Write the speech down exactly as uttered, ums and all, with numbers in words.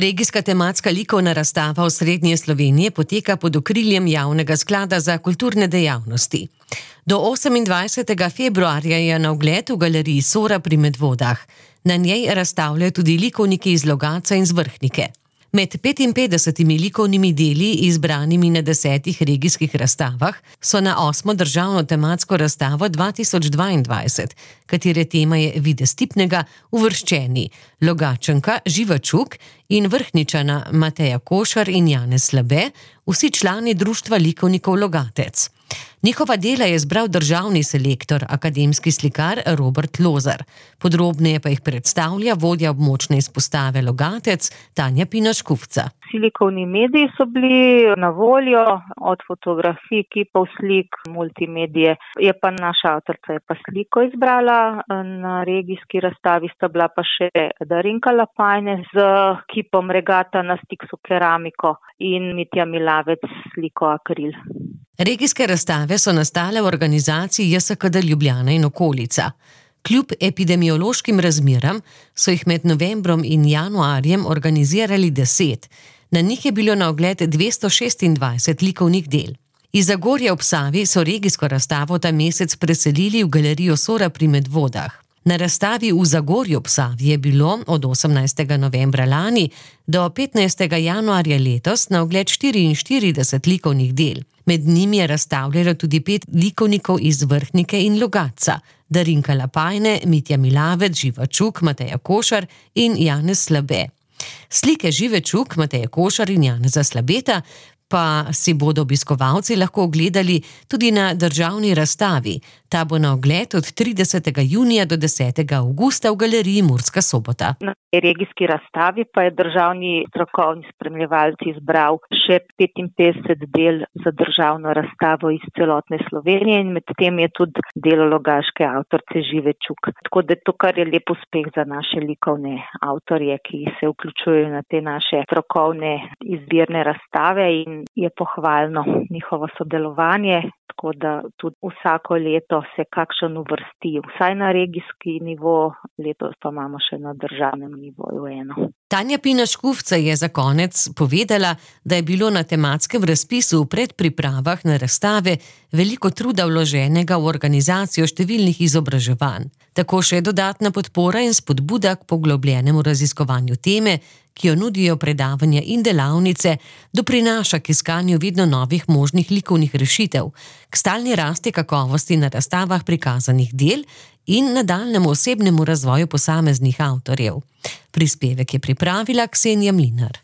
Regijska tematska likovna razstava Osrednje Slovenije poteka pod okriljem Javnega sklada za kulturne dejavnosti. Do osemindvajsetega februarja je na ogled v galeriji Sora pri Medvodah. Na njej razstavljajo tudi likovniki iz Logatca in z Vrhnike. Med petinpetdesetimi likovnimi deli, izbranimi na desetih regijskih razstavah, so na osmo državno tematsko razstavo dva tisoč dvaindvajset, katere tema je Videz Tipnega, uvrščeni Logatčanka Živa Čuk in Vrhničana Mateja Košar in Janez Slabe, vsi člani Društva likovnikov Logatec. Njihova dela je zbral državni selektor, akademski slikar Robert Lozar. Podrobneje pa jih predstavlja vodja območne izpostave Logatec Tanja Pina-Škufca. Vsi likovni mediji so bili na voljo, od fotografij, kipov, slik, multimedije. Je pa naša avtorica je pa sliko izbrala, na regijski razstavi sta bila pa še Darinka Lapajne z kipom Regata na Stixu keramiko in Mitja Milavec sliko Akril. Regijske razstave so nastale v organizaciji J S K D Ljubljana in okolica. Kljub epidemiološkim razmeram so jih med novembrom in januarjem organizirali deset. Na njih je bilo na ogled dvesto šestindvajset likovnih del. Iz Zagorja ob Savi so regijsko razstavo ta mesec preselili v galerijo Sora pri Medvodah. Na razstavi v Zagorju ob Savi je bilo od osemnajstega novembra lani do petnajstega januarja letos na ogled štiriinštirideset likovnih del. Med njimi je razstavljalo tudi pet likovnikov iz Vrhnike in Logatca: Darinka Lapajne, Mitja Milavec, Živa Čuk, Mateja Košar in Janez Slabe. Slike Žive Čuk, Mateja Košar in Janeza Slabeta pa si bodo obiskovalci lahko ogledali tudi na državni razstavi. Ta bo na ogled od tridesetega junija do desetega avgusta v galeriji Murska Sobota. Na regijski razstavi pa je državni strokovni spremljevalec izbral še petinpetdeset del za državno razstavo iz celotne Slovenije in med tem je tudi delo logaške avtorice Žive Čuk. Tako da to kar je lep uspeh za naše likovne avtorje, ki se vključujejo na te naše strokovne izbirne razstave in je pohvalno njihovo sodelovanje, tako da tudi vsako leto se kakšen uvrsti, vsaj na regijski nivo, letos pa imamo še na državnem nivoju eno. Tanja Pina-Škufca je za konec povedala, da je bilo na tematskem razpisu v predpripravah na razstave veliko truda vloženega v organizacijo številnih izobraževanj. Tako še dodatna podpora in spodbuda k poglobljenemu raziskovanju teme, ki jo nudijo predavanja in delavnice, doprinaša k iskanju vedno novih možnih likovnih rešitev, k stalni rasti kakovosti na razstavah prikazanih del in nadaljnjemu osebnemu razvoju posameznih avtorjev. Prispevek je pripravila Ksenija Mlinar.